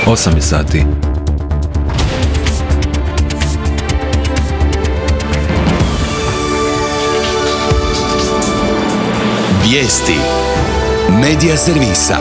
8 je sati. Vijesti Medija servisa.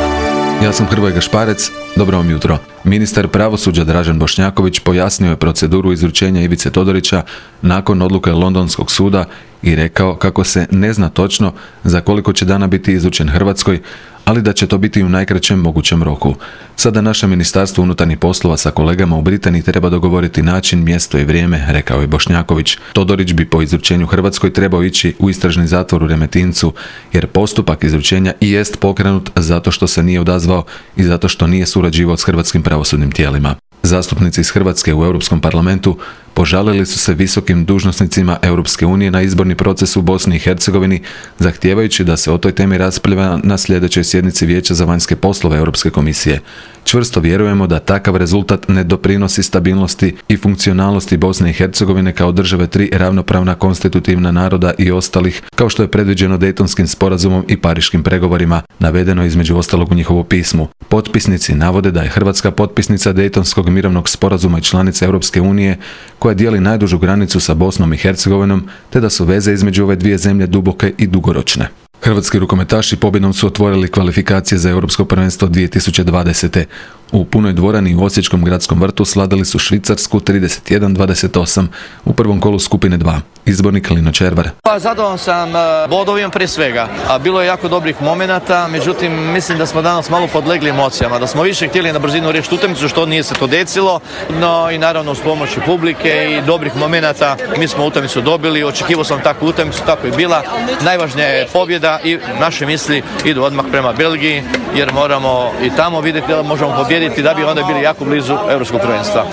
Ja sam Hrvoje Gašparec, dobro vam jutro. Ministar pravosuđa Dražen Bošnjaković pojasnio je proceduru izručenja Ivice Todorića nakon odluke Londonskog suda i rekao kako se ne zna točno za koliko će dana biti izručen Hrvatskoj, ali da će to biti u najkraćem mogućem roku. Sada naše Ministarstvo unutarnjih poslova sa kolegama u Britaniji treba dogovoriti način, mjesto i vrijeme, rekao je Bošnjaković. Todorić bi po izručenju Hrvatskoj trebao ići u istražni zatvor u Remetincu, jer postupak izručenja i jest pokrenut zato što se nije odazvao i zato što nije surađivao s hrvatskim pravosudnim tijelima. Zastupnici iz Hrvatske u Europskom parlamentu požalili su se visokim dužnosnicima Europske unije na izborni proces u Bosni i Hercegovini, zahtijevajući da se o toj temi raspravlja na sljedećoj sjednici Vijeća za vanjske poslove Europske komisije. Čvrsto vjerujemo da takav rezultat ne doprinosi stabilnosti i funkcionalnosti Bosne i Hercegovine kao države tri ravnopravna konstitutivna naroda i ostalih, kao što je predviđeno Dejtonskim sporazumom i Pariškim pregovorima, navedeno između ostalog u njihovu pismu. Potpisnici navode da je Hrvatska potpisnica Dejtonskog mirovnog sporazuma i članica Europske unije, koja dijeli najdužu granicu sa Bosnom i Hercegovinom, te da su veze između ove dvije zemlje duboke i dugoročne. Hrvatski rukometaši pobjedom su otvorili kvalifikacije za Europsko prvenstvo 2020. U punoj dvorani u Osječkom gradskom vrtu slavili su Švicarsku 31-28 u prvom kolu skupine 2. Izbornik Lino Červar. Zadovoljan sam bodovima prije svega, a bilo je jako dobrih momenata, međutim mislim da smo danas malo podlegli emocijama, da smo više htjeli na brzinu riješiti utakmicu, što nije se to desilo, no i naravno uz pomoć publike i dobrih momenata mi smo utakmicu dobili, očekivao sam takvu utakmicu, tako je bila. Najvažnija je pobjeda i naše misli idu odmah prema Belgiji, jer moramo i tamo vidjeti da možemo pobijediti da bi onda bili jako blizu europskog prvenstva.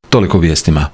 Toliko vijestima.